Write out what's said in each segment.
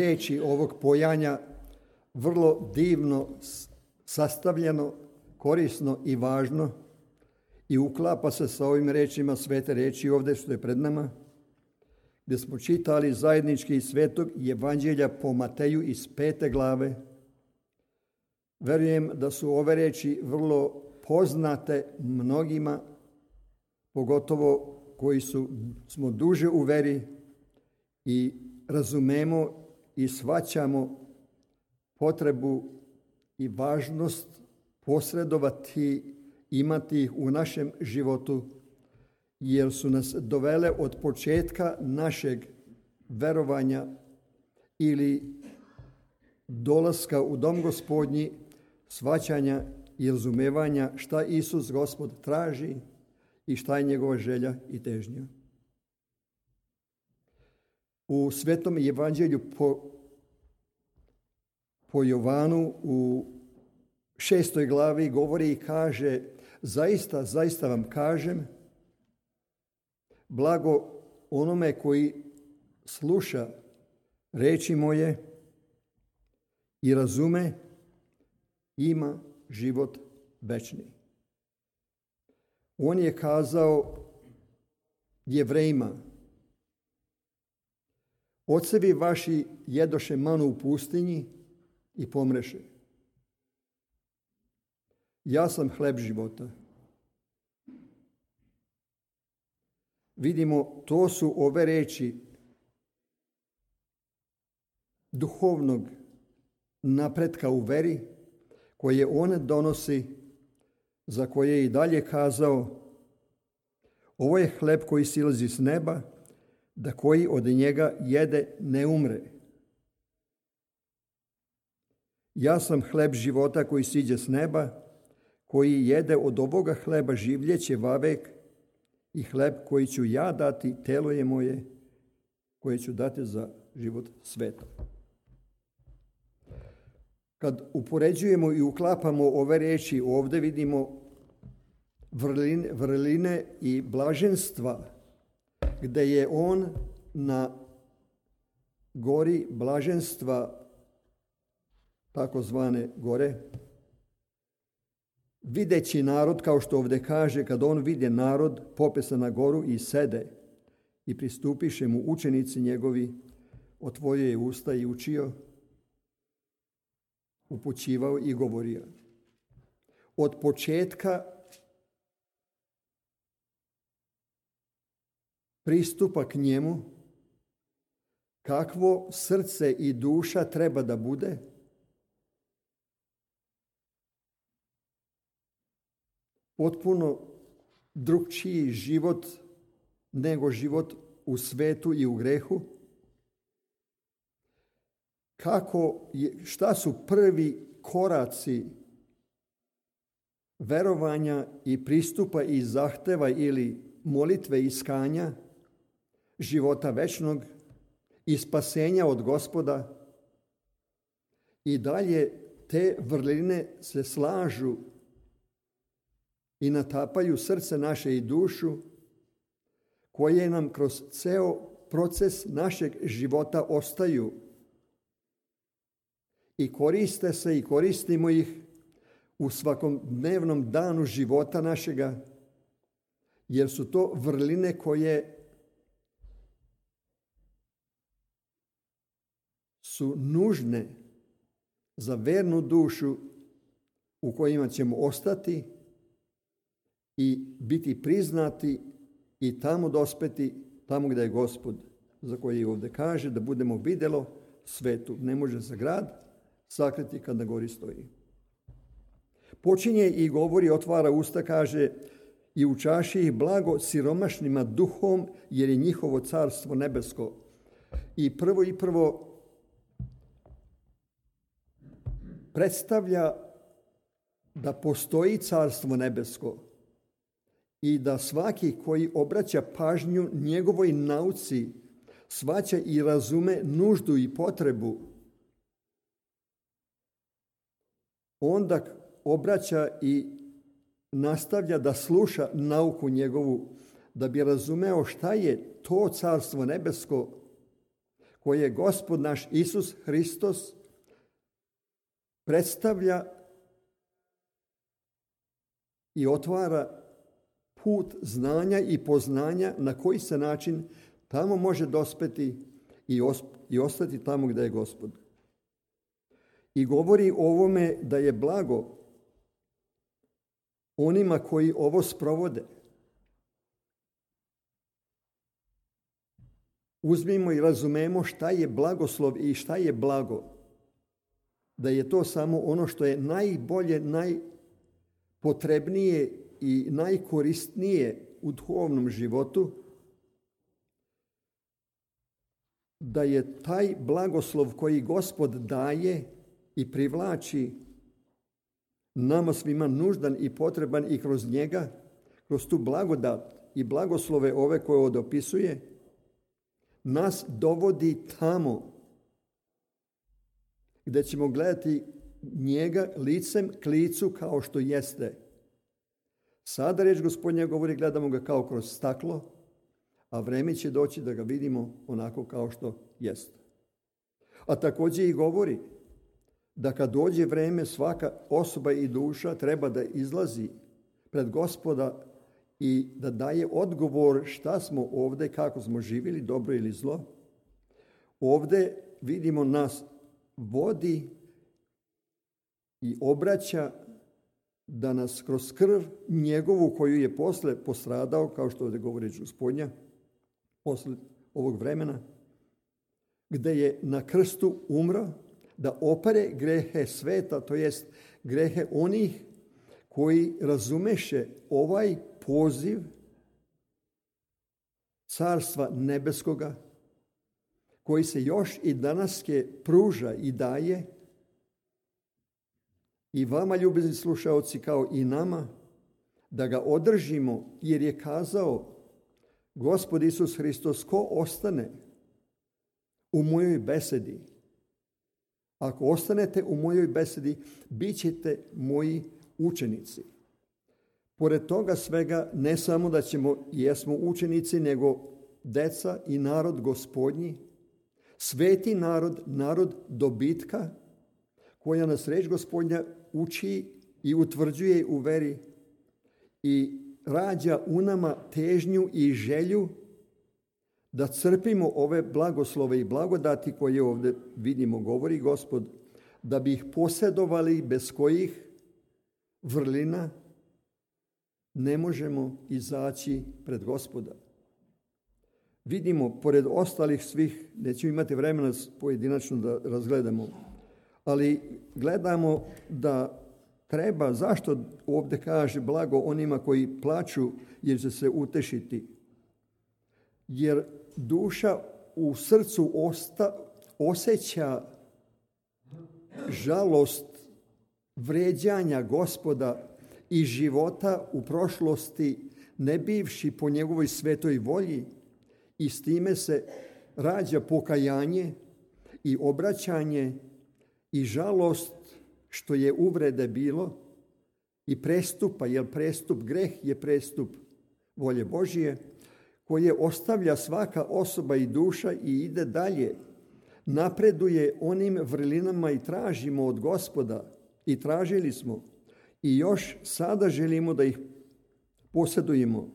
riječi ovog pojanja vrlo divno sastavljeno, korisno i važno i uklapa se sa ovim riječima svete riječi ovdje što je pred nama, gdje smo čitali zajednički iz svetog evanđelja po Mateju iz 5. glave. Verujem da su ove riječi vrlo poznate mnogima, pogotovo koji smo duže u veri i razumemo i shvaćamo potrebu i važnost posredovati, imati ih u našem životu, jer su nas dovele od početka našeg verovanja ili dolaska u dom Gospodnji, shvaćanja i razumevanja šta Isus Gospod traži i šta je njegova želja i težnja. U Svetom evanđelju po Jovanu u 6. glavi govori i kaže: zaista, zaista vam kažem, blago onome koji sluša riječi moje i razume, ima život večni. On je kazao Jevrejima: ocevi vaši jedoše manu u pustinji i pomreše. Ja sam hleb života. Vidimo, to su ove riječi duhovnog napretka u veri koje on donosi, za koje je i dalje kazao: ovo je hleb koji silazi s neba, da koji od njega jede ne umre. Ja sam hleb života koji siđe s neba, koji jede od ovoga hleba življeće vavek, i hleb koji ću ja dati, telo je moje, koje ću dati za život sveta. Kad upoređujemo i uklapamo ove riječi, ovdje vidimo vrline i blaženstva, gdje je on na gori blaženstva, takozvane gore, videći narod, kao što ovdje kaže, kad on vide narod, pope se na goru i sede, i pristupiše mu učenici njegovi, otvorio je usta i učio, upućivao i govorio. Od početka pristupa k njemu, kakvo srce i duša treba da bude, potpuno drugčiji život nego život u svetu i u grehu. Šta su prvi koraci verovanja i pristupa i zahteva ili molitve iskanja života večnog i spasenja od Gospoda. I dalje te vrline se slažu i natapaju srce naše i dušu, koje nam kroz ceo proces našeg života ostaju i koriste se i koristimo ih u svakom dnevnom danu života našega, jer su to vrline koje su nužne za vernu dušu u kojima ćemo ostati i biti priznati i tamo dospeti, tamo gdje je Gospod, za koji ovdje kaže da budemo vidjelo svetu. Ne može se grad sakriti kad na gori stoji. Počinje i govori, otvara usta, kaže: i učaši ih blago siromašnima duhom, jer je njihovo carstvo nebesko. I prvo predstavlja da postoji carstvo nebesko i da svaki koji obraća pažnju njegovoj nauci shvaća i razume nuždu i potrebu, onda obraća i nastavlja da sluša nauku njegovu, da bi razumeo šta je to carstvo nebesko koje Gospod naš Isus Hristos predstavlja i otvara put znanja i poznanja na koji se način tamo može dospeti i ostati tamo gdje je Gospod. I govori o ovome da je blago onima koji ovo sprovode. Uzmimo i razumemo šta je blagoslov i šta je blago. Da je to samo ono što je najbolje, najpotrebnije i najkorisnije u duhovnom životu. Da je taj blagoslov koji Gospod daje i privlači nama svima nuždan i potreban i kroz njega, kroz tu blagodat i blagoslove ove koje on opisuje, nas dovodi tamo gdje ćemo gledati njega licem k licu kao što jeste. Sada riječ Gospodnja govori, gledamo ga kao kroz staklo, a vrijeme će doći da ga vidimo onako kao što jeste. A također i govori da kad dođe vrijeme, svaka osoba i duša treba da izlazi pred Gospoda i da daje odgovor šta smo ovdje, kako smo živjeli, dobro ili zlo. Ovdje vidimo nas vodi i obraća da nas kroz krv njegovu koju je posle postradao, kao što ovdje govori Gospodnja, posle ovog vremena, gdje je na krstu umro, da opere grehe sveta, to jest grehe onih koji razumeše ovaj poziv Carstva nebeskoga, koji se još i danas pruža i daje i vama, ljubezni slušaoci, kao i nama, da ga održimo, jer je kazao Gospod Isus Hristos, ko ostane u mojoj besedi, ako ostanete u mojoj besedi, bit ćete moji učenici. Pored toga svega, ne samo da jesmo učenici, nego deca i narod Gospodnji, sveti narod, narod dobitka, koja nas riječ Gospodnja uči i utvrđuje u veri i rađa u nama težnju i želju da crpimo ove blagoslove i blagodati koje ovdje vidimo, govori Gospod, da bi ih posjedovali, bez kojih vrlina ne možemo izaći pred Gospoda. Vidimo, pored ostalih svih, nećemo imati vremena pojedinačno da razgledamo, ali gledamo da treba, zašto ovdje kaže blago onima koji plaču jer će se utešiti? Jer duša u srcu osjeća žalost vrijeđanja Gospoda i života u prošlosti, ne bivši po njegovoj svetoj volji, i s time se rađa pokajanje i obraćanje i žalost što je uvrede bilo i prestupa, jer greh je prestup volje Božije, koje ostavlja svaka osoba i duša i ide dalje, napreduje onim vrlinama i tražimo od Gospoda i tražili smo i još sada želimo da ih posjedujemo.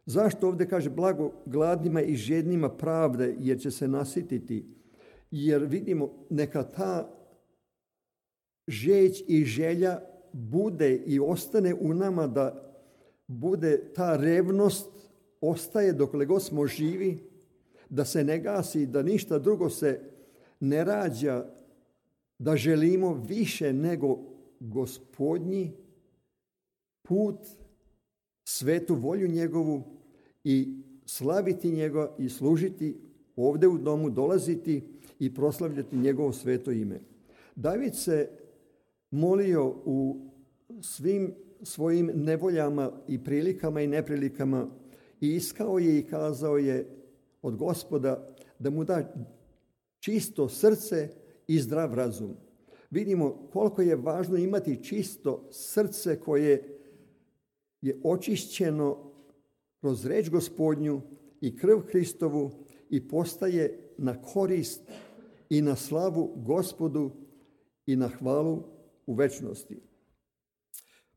Zašto ovdje kaže blago gladnima i žednima pravde, jer će se nasititi? Jer vidimo, neka ta žeć i želja bude i ostane u nama, da bude ta revnost, ostaje dokle god smo živi, da se ne gasi, da ništa drugo se ne rađa, da želimo više nego Gospodnji put, svetu volju njegovu i slaviti njega i služiti ovdje u domu, dolaziti i proslavljati njegovo sveto ime. David se molio u svim svojim nevoljama i prilikama i neprilikama i iskao je i kazao je od Gospoda da mu da čisto srce i zdrav razum. Vidimo koliko je važno imati čisto srce koje je očišćeno kroz reč Gospodnju i krv Hristovu i postaje na korist i na slavu Gospodu i na hvalu u večnosti.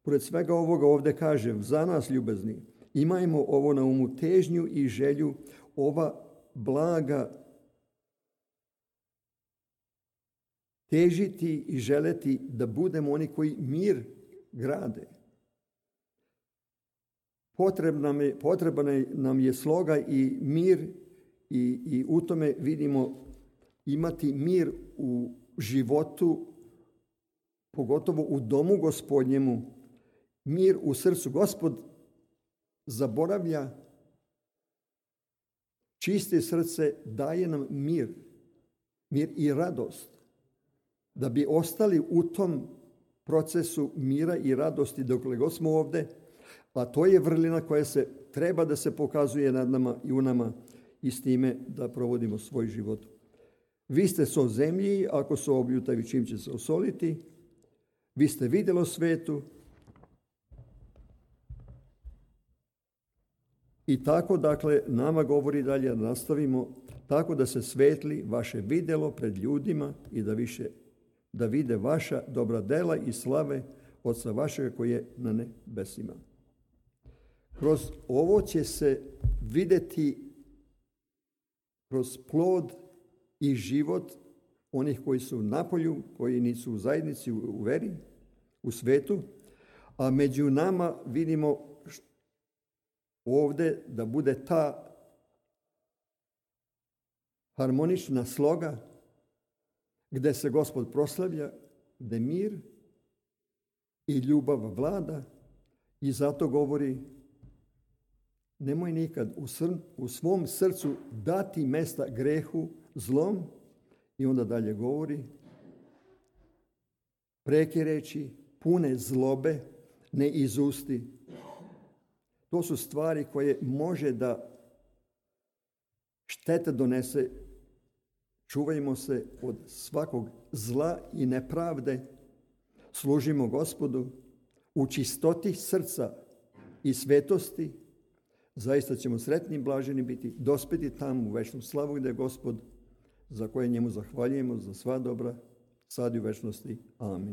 Pored svega ovoga ovdje kažem, za nas ljubezni, imajmo ovo na umu, težnju i želju, ova blaga, težiti i želeti da budemo oni koji mir grade. Potreban nam je sloga i mir i u tome vidimo imati mir u životu, pogotovo u domu Gospodnjemu, mir u srcu. Gospod zaboravlja čiste srce, daje nam mir i radost. Da bi ostali u tom procesu mira i radosti dokle god smo ovdje, a to je vrlina koja treba da se pokazuje nad nama i u nama i s time da provodimo svoj život. Vi ste so zemlji, ako so obljutavi, čim će se osoliti. Vi ste vidjelo svetu. I tako, dakle, nama govori dalje da nastavimo tako da se svetli vaše vidjelo pred ljudima i da vide vaša dobra dela i slave Oca vašega koji je na nebesima. Kroz ovo će se vidjeti kroz plod i život onih koji su napolju, koji nisu u zajednici, u veri, u svetu, a među nama vidimo ovdje da bude ta harmonična sloga gdje se Gospod proslavlja, gdje mir i ljubav vlada i zato govori nemoj nikad u svom srcu dati mesta grehu, zlom i onda dalje govori preke reči, pune zlobe, ne izusti. To su stvari koje može da štete donese. Čuvajmo se od svakog zla i nepravde. Služimo Gospodu u čistoti srca i svetosti. Zaista ćemo sretni i blaženi biti, dospeti tamo u večnu slavu gdje je Gospod, za koje njemu zahvaljujemo za sva dobra, sad i u večnosti. Amin.